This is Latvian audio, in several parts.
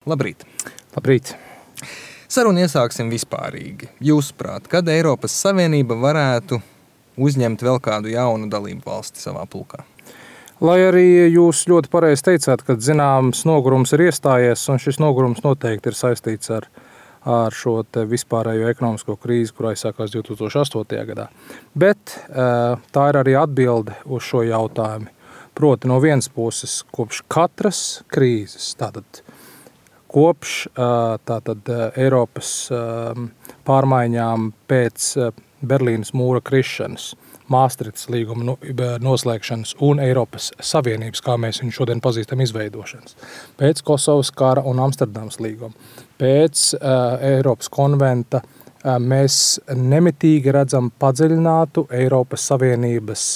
Labrīt! Labrīt! Sarunu iesāksim vispārīgi. Jūsuprāt, kad Eiropas Savienība varētu uzņemt vēl kādu jaunu dalību valsti savā pulkā? Lai arī jūs ļoti pareizi teicāt, ka zināms nogurums ir iestājies, un šis nogurums noteikti ir saistīts ar šo vispārējo ekonomisko krīzi, kurā aizsākās 2008. gadā. Bet tā ir arī atbilde uz šo jautājumu. Proti no vienas puses, kopš katras krīzes, kopš Eiropas pārmaiņām pēc Berlīnas mūra krišanas, Māstrihtas līguma noslēgšanas un Eiropas Savienības, kā mēs viņu šodien pazīstam, izveidošanas, pēc Kosovas kara un Amsterdamas līguma, pēc Eiropas konventa mēs nemitīgi redzam padziļinātu Eiropas Savienības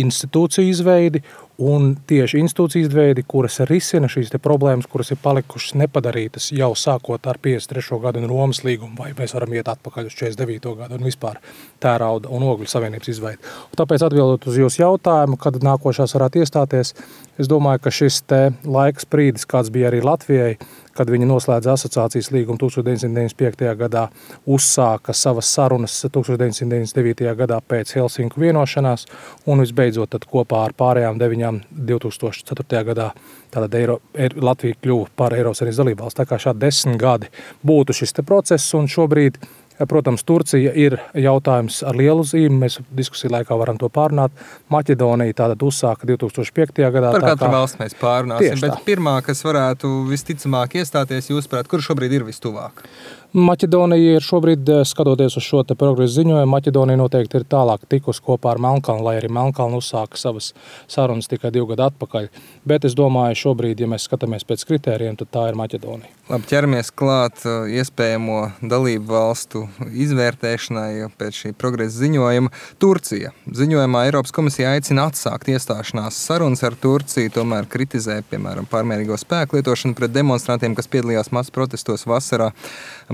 institūciju izveidi un tieši institūciju izveidi, kuras risina šīs problēmas, kuras ir palikušas nepadarītas jau sākot ar 53. gadu un Romas līgumu, vai mēs varam iet atpakaļ uz 49. gadu un vispār tērauda un ogļu savienības izveidi. Un tāpēc atbildot uz jūsu jautājumu, kad nākošās varētu iestāties, es domāju, ka šis laiks brīdis, kāds bija arī Latvijai, kad viņi noslēdza asociācijas līgumu 1995. gadā, uzsāka savas sarunas 1999. gadā pēc Helsinku vienošanās un visbeidzot tad kopā ar pārējām 9 2004. gadā Latvija kļuva par Eiropas Savienības dalībvalsti. Tā kā šādi 10 gadi būtu šis process un šobrīd, protams, Turcija ir jautājums ar lielu zīmi, mēs diskusiju laikā varam to pārunāt. Maķedonija tātad uzsāka 2005. gadā. Par katru valsts mēs pārunāsim, bet pirmā, kas varētu visticamāk iestāties, jūsuprāt, kur šobrīd ir vistuvāk? Maķedonija ir šobrīd, skatoties uz šo progresu ziņojumu, Maķedonija noteikti ir tālāk tikus kopā ar Melnkalnu, lai arī Melnkalna uzsāka savas sarunas tikai 2 gadu atpakaļ. Bet es domāju, šobrīd, ja mēs skatāmies pēc kritērijiem, tad tā ir Maķedonija. Labi, ķeramies klāt iespējamo dalību valstu izvērtēšanai pēc šī progresa ziņojuma. Turcija. Ziņojumā Eiropas komisija aicina atsākt iestāšanās sarunas ar Turciju, tomēr kritizē, piemēram, pārmērīgo spēku lietošanu pret demonstrantiem, kas piedalījās masu protestos vasaras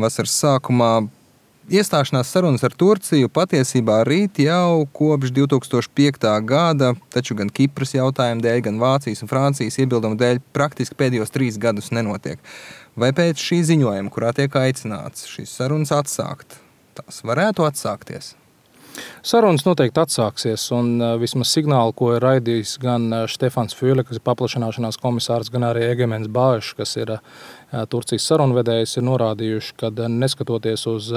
sākumā. Iestāšanās sarunas ar Turciju patiesībā rīt jau kopš 2005. gada, taču gan Kipras jautājumu dēļ, gan Vācijas un Francijas iebildumu dēļ praktiski pēdējos 3 gadus nenotiek. Vai pēc šī ziņojuma, kurā tiek aicināts šīs sarunas atsākt, tās varētu atsākties? Sarunas noteikti atsāksies, un vismaz signāli, ko ir raidījis gan Štefans Füle, kas ir paplašināšanās komisārs, gan arī Egemens Bāešs, kas ir Turcijas sarunvedējs, ir norādījuši, ka neskatoties uz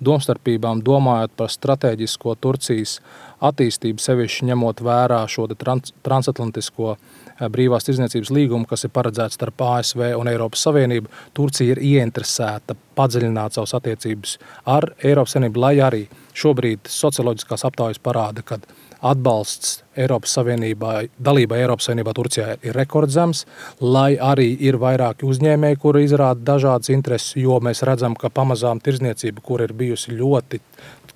domstarpībām, domājot par stratēģisko Turcijas attīstību, sevišķi ņemot vērā šo transatlantisko brīvās tirdzniecības līgumu, kas ir paredzēts starp ASV un Eiropas Savienību, Turcija ir ieinteresēta padziļināt savas attiecības ar Eiropas Savienību, lai arī šobrīd socioloģiskās aptaujas parāda, ka atbalsts Eiropas Savienībā, dalībai Eiropas Savienībā Turcijā ir rekordzems, lai arī ir vairāki uzņēmēji, kuri izrāda dažādas intereses, jo mēs redzam, ka pamazām tirdzniecība, kur ir bijusi ļoti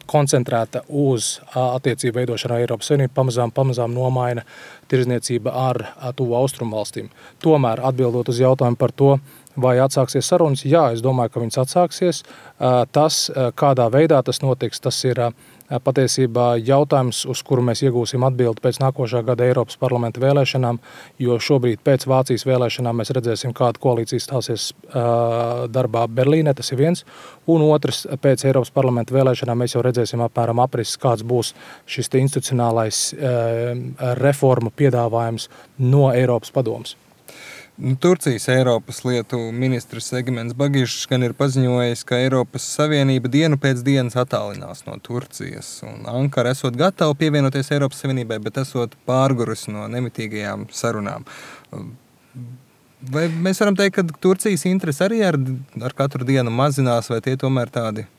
koncentrēta uz attiecību veidošanu ar Eiropas Savienību, pamazām nomaina tirdzniecība ar tuvu austrumu valstīm. Tomēr, atbildot uz jautājumu par to, vai atsāksies sarunas, jā, es domāju, ka viņas atsāksies. Tas, kādā veidā tas notiks, tas ir patiesībā jautājums, uz kuru mēs iegūsim atbildi pēc nākošā gada Eiropas parlamenta vēlēšanām, jo šobrīd pēc Vācijas vēlēšanām mēs redzēsim, kāda koalīcija stāsies darbā Berlīnē, tas ir viens, un otrs, pēc Eiropas parlamenta vēlēšanām mēs jau redzēsim apmēram aprises, kāds būs šis institucionālais reformu piedāvājums no Eiropas padomes. Turcijas Eiropas lietu ministrs Egemens Bagišs gan ir paziņojis, ka Eiropas Savienība dienu pēc dienas attālinās no Turcijas, un Ankara esot gatava pievienoties Eiropas Savienībai, bet esot pārgurusi no nemitīgajām sarunām. Vai mēs varam teikt, ka Turcijas interesi arī ar katru dienu mazinās, vai tie tomēr tādi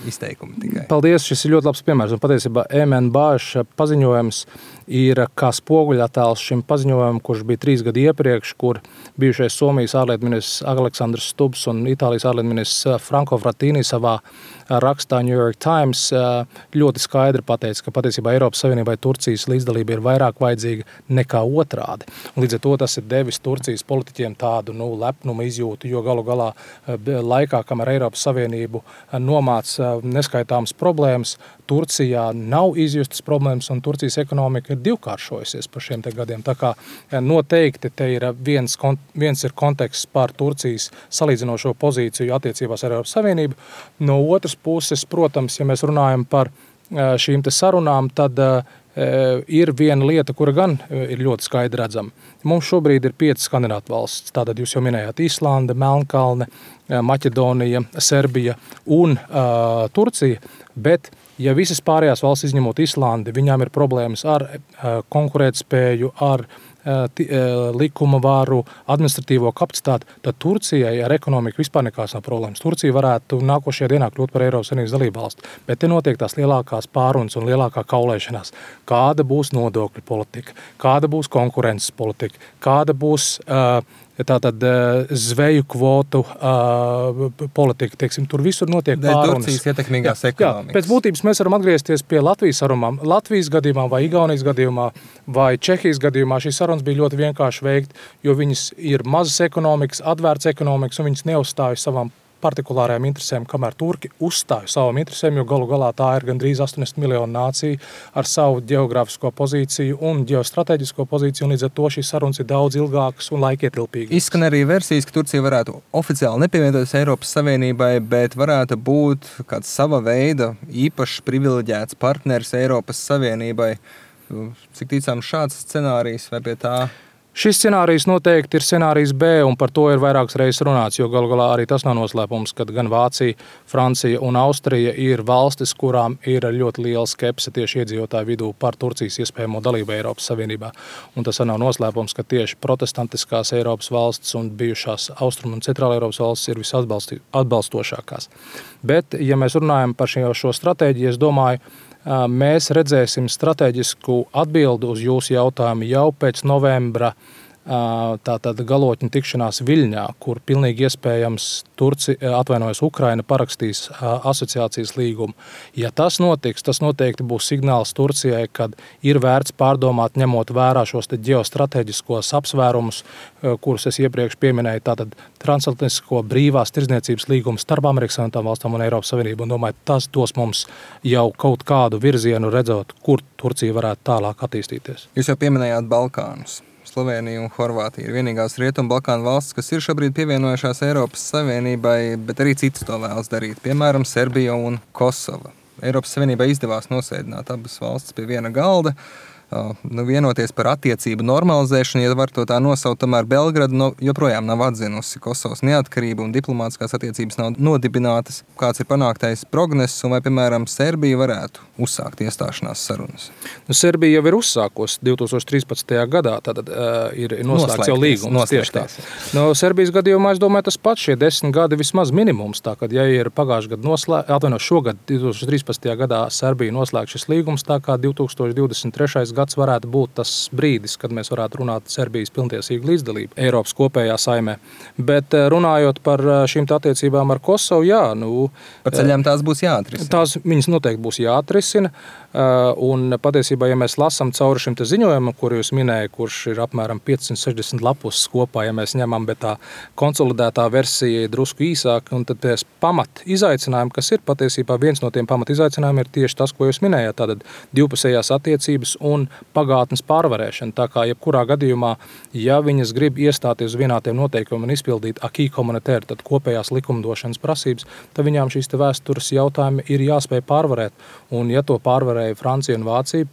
izteikumi tikai? Paldies, šis ir ļoti labs piemērs. Un patiesībā Egemens Bāešs paziņojums ir kā spoguļattēls šim paziņojumam, kurš bija 3 gadi iepriekš, kur bijušais Somijas ārlietu ministrs Aleksandrs Stubbs un Itālijas ārlietu ministrs Franco Frattini savā rakstā New York Times ļoti skaidri pateica, ka patiesībā Eiropas Savienībai Turcijas līdzdalība ir vairāk vajadzīga nekā otrādi. Un līdz ar to tas ir devis Turcijas politiķiem tādu lepnuma izjūtu, jo galu galā laikā, kamēr Eiropas Savienību nomāca neskaitāmas problēmas. Turcijā nav izjustas problēmas, un Turcijas ekonomika ir divkāršojusies par šiem te gadiem. Tā kā noteikti te ir viens ir konteksts par Turcijas salīdzinošo pozīciju attiecībās ar Eiropas Savienību. No otras puses, protams, ja mēs runājam par šīm te sarunām, tad ir viena lieta, kura gan ir ļoti skaidri redzama. Mums šobrīd ir 5 kandidātu valsts. Tātad jūs jau minējāt Islande, Melnkalne, Maķedonija, Serbija un Turcija, bet ja visas pārējās valsts izņemot Islandi, viņām ir problēmas ar konkurētspēju, ar likuma varu, administratīvo kapacitāti, tad Turcijai ar ekonomiku vispār nekās nav problēmas. Turcija varētu nākošajā dienā kļūt par Eiropas Savienības dalībvalsti, bet te notiek tās lielākās pārunas un lielākā kaulēšanās. Kāda būs nodokļu politika, kāda būs konkurences politika, kāda būs tātad zveju kvotu politika, teiksim, tur visur notiek pārunas. Turcijas ietekmīgās ekonomikas. Pēc būtības mēs varam atgriezties pie Latvijas sarunām. Latvijas gadījumā vai Igaunijas gadījumā vai Čehijas gadījumā šīs sarunas bija ļoti vienkārši veikt, jo viņas ir mazas ekonomikas, atvērts ekonomikas un viņas neuzstāja savām partikulārajām interesēm, kamēr Turki uzstāja savām interesēm, jo galu galā tā ir gandrīz 80 miljonu nācija ar savu geogrāfisko pozīciju un ģeostrateģisko pozīciju, un līdz ar to šīs sarunas ir daudz ilgākas un laikietilpīgas. Izskan arī versijas, ka Turcija varētu oficiāli nepievienoties Eiropas Savienībai, bet varētu būt kāds sava veida īpašs privileģēts partneris Eiropas Savienībai. Cik ticams šāds scenārijs vai pie tā? Šis scenārijs noteikti ir scenārijs B, un par to ir vairākas reizes runāts, jo galu galā arī tas nav noslēpums, ka gan Vācija, Francija un Austrija ir valstis, kurām ir ļoti liela skepse tieši iedzīvotāju vidū par Turcijas iespējamo dalību Eiropas Savienībā. Un tas nav noslēpums, ka tieši protestantiskās Eiropas valstis un bijušās Austrum un Centrāla Eiropas valstis ir visatbalstošākās. Bet, ja mēs runājam par šo stratēģiju, es domāju, mēs redzēsim strateģisku atbildi uz jūsu jautājumu jau pēc novembra tātad galotņu tikšanās Viļņā, kur pilnīgi iespējams Ukraina parakstīs asociācijas līgumu. Ja tas notiks, tas noteikti būs signāls Turcijai, kad ir vērts pārdomāt, ņemot vērā šos te ģeostrateģiskos apsvērumus, kurus es iepriekš pieminēju, tātad transatlantisko brīvās tirdzniecības līgumu starp Amerikas Savienotām valstīm un Eiropas Savienību. Un domāju, tas dos mums jau kaut kādu virzienu redzot, kur Turcija varētu tālāk attīstīties. Jūs jau pieminējāt Balkānus. Slovēnija un Horvātija ir vienīgās Rietumu Balkānu valstis, kas ir šobrīd pievienojušās Eiropas Savienībai, bet arī citas to vēlas darīt, piemēram, Serbija un Kosova. Eiropas Savienībai izdevās nosēdināt abas valstis pie viena galda, vienoties par attiecību normalizēšanu, ja var to tā nosaukt, tomēr Belgrada joprojām nav atzinusi Kosovas neatkarību un diplomātiskās attiecības nav nodibinātas. Kāds ir panāktais progress un vai, piemēram, Serbija varētu uzsākt iestāšanās sarunas? Serbija jau ir uzsākusi 2013. gadā, tad ir noslēgts jau līgums. Tieši tā. No Serbijas gadījumā, es domāju, tas pats šie 10 gadi vismaz minimums. Tā, kad ja ir pagājušajā gadā šogad 2013. gadā Serbija noslēgts šis līgums, tā kā 2023. gads varētu būt tas brīdis, kad mēs varētu runāt Serbijas pilntiesīgu līdzdalību Eiropas kopējā saimē. Bet runājot par šīm attiecībām ar Kosovu, par ceļām tās būs jāatrisina. Tās viņas noteikti būs jāatrisina. Un patiesībā, ja mēs lasām cauri šim te ziņojumam, kur jūs minēja, kurš ir apmēram 560 lapus kopā, ja mēs ņemam, bet tā konsolidētā versija ir drusku īsāka, un tad pēc pamat izaicinājumi, kas ir patiesībā viens no tiem pamat izaicinājumiem, ir tieši tas, ko jūs minējāt, tātad divpusējās attiecības un pagātnes pārvarēšana. Tā kā jebkurā gadījumā, ja viņas grib iestāties uz vienādiem noteikumiem un izpildīt acquis communautaire, tad kopējās likumdošanas prasības, tad viņām šīs te vēstures jautājumi ir jāspēj pārvarēt. Un ja to pārvarēja Francija un Vācija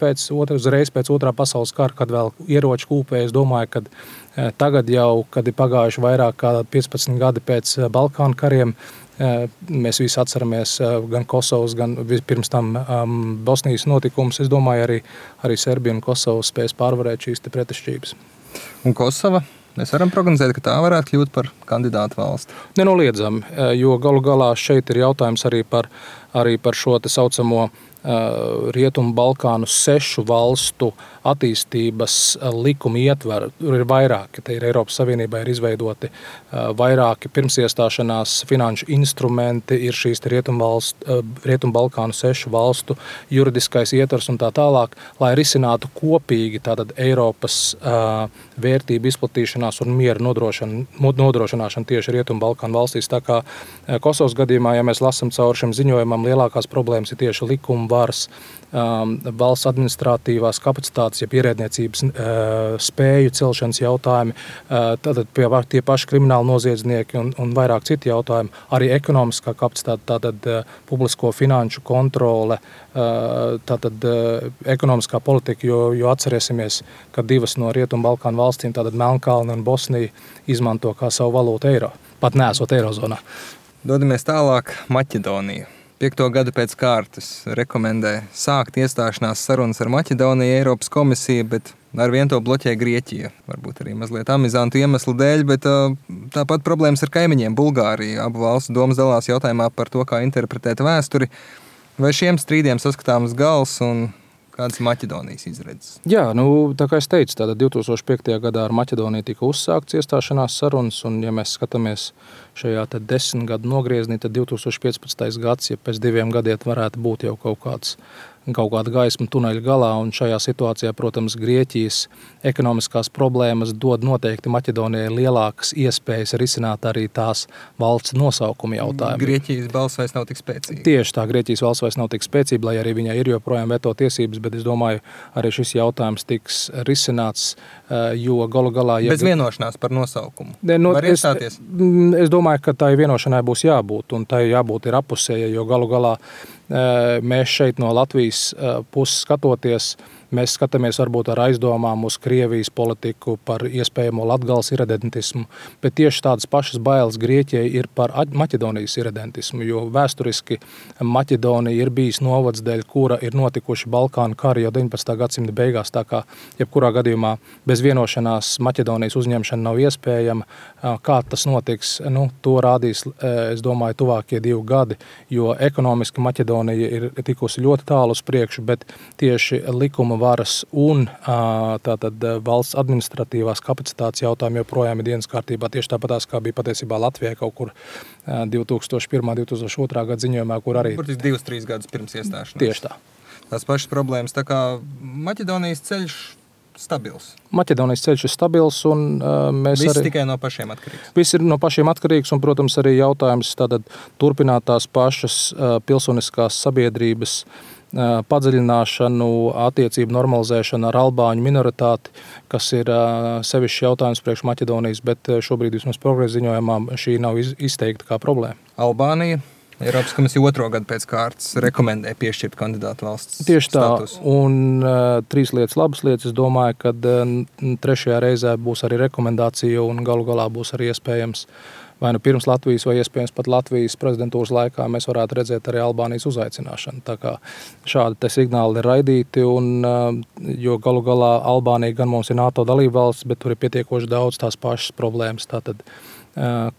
uzreiz pēc otrā pasaules kara, kad vēl ieroči kūpēja, es domāju, ka tagad jau, kad ir pagājuši vairāk kā 15 gadi pēc Balkānu kariem, mēs visi atceramies gan Kosovas, gan pirms tam Bosnijas notikumus. Es domāju, arī Serbija un Kosova spēs pārvarēt šīs te pretešķības. Un Kosova? Mēs varam prognozēt, ka tā varētu kļūt par kandidātu valsti. Nenoliedzami, jo galu galā šeit ir jautājums arī par šo te saucamo Rietumu Balkānu 6 valstu attīstības likuma ietvaru. Tur ir vairāki. Te ir Eiropas Savienībā ir izveidoti vairāki pirmsiestāšanās finanšu instrumenti, ir šīs Rietumu Balkānu 6 valstu juridiskais ietvars un tā tālāk, lai risinātu kopīgi tātad Eiropas vērtību izplatīšanās un miera nodrošināšanu tieši Rietumu Balkānu valstīs. Tā kā Kosovas gadījumā, ja mēs lasam cauri šim ziņojumam, lielākās problēmas ir tieši likuma varas, valsts administratīvās kapacitātes, jeb ierēdniecības spēju celšanas jautājumi, tātad tie paši krimināli noziedznieki un vairāk citi jautājumi, arī ekonomiskā kapacitāte, tātad publisko finanšu kontrole, tātad ekonomiskā politika, jo atcerēsimies, ka 2 no Rietumu Balkānu valstīm, tātad Melnkalne un Bosnija, izmanto kā savu valūtu eiro, pat neesot eirozonā. Dodamies tālāk Maķedoniju. 5. gadu pēc kārtas rekomendē sākt iestāšanās sarunas ar Maķedoniju Eiropas komisija, bet ar vien to bloķē Grieķija. Varbūt arī mazliet amizantu iemeslu dēļ, bet tāpat problēmas ar kaimiņiem Bulgāriju. Abu valstu domas dalās jautājumā par to, kā interpretēt vēsturi. Vai šiem strīdiem saskatāms gals un kādas Maķedonijas izredzes? Jā, tā kā es teicu, tātad 2005. gadā ar Maķedoniju tika uzsākts iestāšanās sarunas, un ja mēs skatāmies šajā 10 gadu nogrieznī, tad 2015. gads, ja pēc 2 gadiem varētu būt jau kaut kāda gaisma tuneļa galā, un šajā situācijā, protams, Grieķijas ekonomiskās problēmas dod noteikti Maķedonijai lielākas iespējas risināt arī tās valsts nosaukuma jautājumu. Grieķijas balss vairs nav tik spēcīga. Tieši tā, Grieķijas valsts vairs nav tik spēcīga, lai arī viņai ir joprojām veto tiesības, bet es domāju, arī šis jautājums tiks risināts, jo galu galā... Bez vienošanās par nosaukumu. Var iestāties? Es domāju, ka tai vienošanai būs jābūt, un tai jābūt ir apusēja, jo galu galā mēs šeit no Latvijas puses skatoties, mēs skatāmies varbūt ar aizdomām uz Krievijas politiku par iespējamo Latgales irredentismu, bet tieši tādas pašas bailes Grieķijai ir par Maķedonijas irredentismu, jo vēsturiski Maķedonija ir bijis novads, dēļ kura ir notikuši Balkānu kari jau 19. gadsimta beigās, tā kā jebkurā gadījumā bez vienošanās Maķedonijas uzņemšana nav iespējama. Kā tas notiks, to rādīs, es domāju, tuvākie 2 gadi, jo ekonomiski Maķedonija ir tikusi ļoti tālu uz priekšu, bet tieši likuma varas un tātad valsts administratīvās kapacitātes jautājumi joprojām ir dienas kārtībā, tieši tāpatās, kā bija patiesībā Latvijai kaut kur 2001. 2002. gada ziņojumā, kur arī... Burtiski 2-3 gadus pirms iestāšanās. Tieši tā. Tās pašas problēmas, tā kā Maķedonijas ceļš stabils. Maķedonijas ceļš ir stabils, un mēs Viss arī... tikai no pašiem atkarīgs. Viss ir no pašiem atkarīgs, un, protams, arī jautājums tātad turpināt tās pašas pilsoniskās sabiedrības padziļināšanu, attiecību normalizēšanu ar albāņu minoritāti, kas ir sevišķi jautājums priekš Maķedonijas, bet šobrīd vismaz progresa ziņojumā šī nav izteikta kā problēma. Albānija, Eiropas komisija 2. gadu pēc kārtas rekomendē piešķirt kandidātu valsts tieši tā, statusu. Un 3 lietas, labas lietas, es domāju, ka 3. reizē būs arī rekomendācija un galu galā būs arī iespējams vai pirms Latvijas, vai iespējams pat Latvijas prezidentūras laikā mēs varētu redzēt arī Albānijas uzaicināšanu. Tā kā šādi te signāli ir raidīti, jo galu galā Albānija gan mums ir NATO dalībvalsts, bet tur ir pietiekoši daudz tās pašas problēmas. Tātad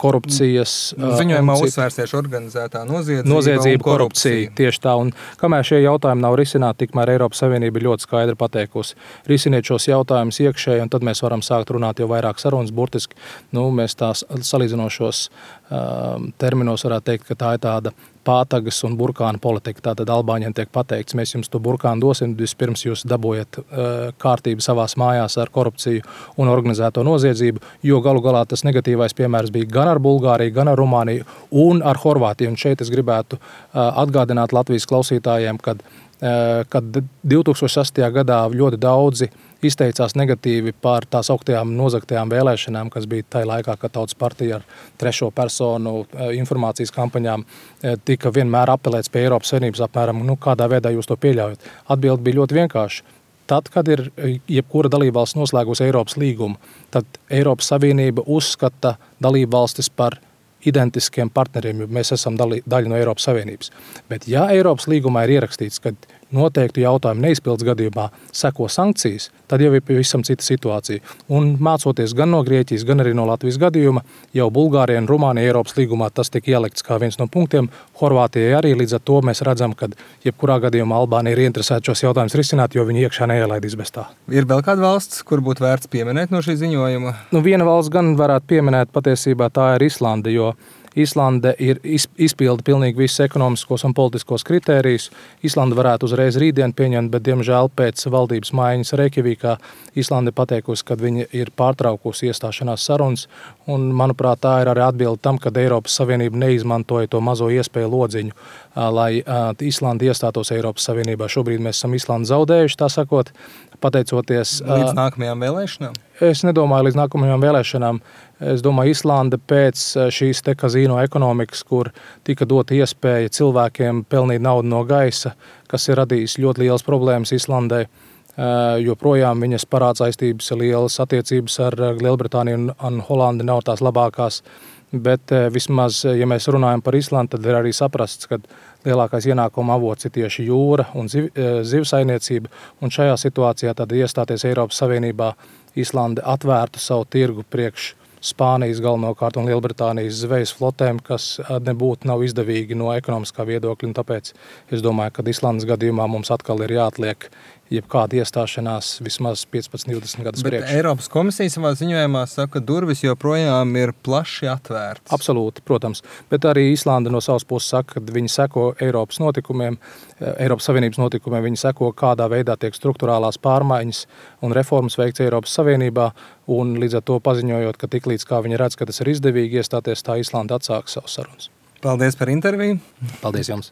korupcijas. Ziņojumā uzsvērsies organizētā noziedzība un korupcija. Tieši tā, un kamēr šie jautājumi nav risināti, tikmēr Eiropas Savienība ir ļoti skaidri pateikusi. Risiniet šos jautājumus iekšēji, un tad mēs varam sākt runāt jau vairāk sarunas. Burtiski, mēs tās salīdzinošos terminos varētu teikt, ka tā ir tāda pātagas un burkāna politika. Tātad Albāņiem tiek pateikts, mēs jums to burkānu dosim, vispirms jūs dabūjat kārtību savās mājās ar korupciju un organizēto noziedzību, jo galu galā tas negatīvais piemērs bija gan ar Bulgāriju, gan ar Rumāniju un ar Horvātiju. Un šeit es gribētu atgādināt Latvijas klausītājiem, kad 2008. gadā ļoti daudzi izteicās negatīvi par tās augtajām nozagtajām vēlēšanām, kas bija tajā laikā, kad Tautas partija ar 3. personu informācijas kampaņām tika vienmēr apelēts pie Eiropas Savienības apmēram, kādā veidā jūs to pieļaujat. Atbilde bija ļoti vienkārši. Tad, kad ir jebkura dalībvalsts noslēgusi Eiropas līgumu, tad Eiropas Savienība uzskata dalībvalstis par identiskiem partneriem, jo mēs esam daļa no Eiropas Savienības. Bet ja Eiropas līgumā ir ierakstīts, ka noteiktu jautājumu neizpildes gadījumā seko sankcijas, tad jau ir pavisam cita situācija. Un mācoties gan no Grieķijas, gan arī no Latvijas gadījuma, jau Bulgārija un Rumānija Eiropas līgumā tas tiek ielikts kā viens no punktiem. Horvātijai arī līdz ar to mēs redzam, ka jebkurā gadījumā Albānija ir interesēta šos jautājumus risināt, jo viņi iekšā neielaidīs bez tā. Ir vēl kāda valsts, kur būtu vērts pieminēt no šī ziņojuma? Viena valsts gan varētu pieminēt, patiesībā tā ir Islande, jo Islande ir izpilda pilnīgi visus ekonomiskos un politiskos kritērijus. Islande varētu uzreiz rītdien pieņemt, bet, diemžēl, pēc valdības maiņas Reikjavīkā Islande pateikusi, ka viņa ir pārtraukusi iestāšanās sarunas. Un, manuprāt, tā ir arī atbilde tam, kad Eiropas Savienība neizmantoja to mazo iespēju lodziņu, lai Islande iestātos Eiropas Savienībā. Šobrīd mēs esam Islandu zaudējuši, tā sakot, pateicoties līdz nākamajām vēlēšanām? Es nedomāju līdz nākamajām vēlēšanām. Es domāju, Islande pēc šīs te kazino ekonomikas, kur tika dota iespēja cilvēkiem pelnīt naudu no gaisa, kas ir radījis ļoti lielas problēmas Islandē, joprojām viņas parādsaistības ir lielas, attiecības ar Lielbritāniju un Holandi nav tās labākās. Bet vismaz, ja mēs runājam par Islandu, tad ir arī saprasts, ka lielākais ienākuma avots ir tieši jūra un zivsainiecība. Un šajā situācijā tad iestāties Eiropas Savienībā Islande atvērtu savu tirgu priekš Spānijas galvenokārt un Lielbritānijas zvejas flotēm, kas nav izdevīgi no ekonomiskā viedokļa. Un tāpēc es domāju, ka Islandes gadījumā mums atkal ir jāatliek jebkāda iestāšanās vismaz 15-20 gadus priekš. Bet Eiropas komisija savā ziņojumā saka, ka durvis joprojām ir plaši atvērtas. Absolūti, protams. Bet arī Islande no savas puses saka, ka viņi seko Eiropas notikumiem, Eiropas Savienības notikumiem, viņi seko, kādā veidā tiek struktūrālās pārmaiņas un reformas veikts Eiropas Savienībā, un līdz ar to paziņojot, ka tiklīdz kā viņi redz, ka tas ir izdevīgi iestāties, tā Islande atsāks savus sarunas. Paldies par interviju. Paldies jums.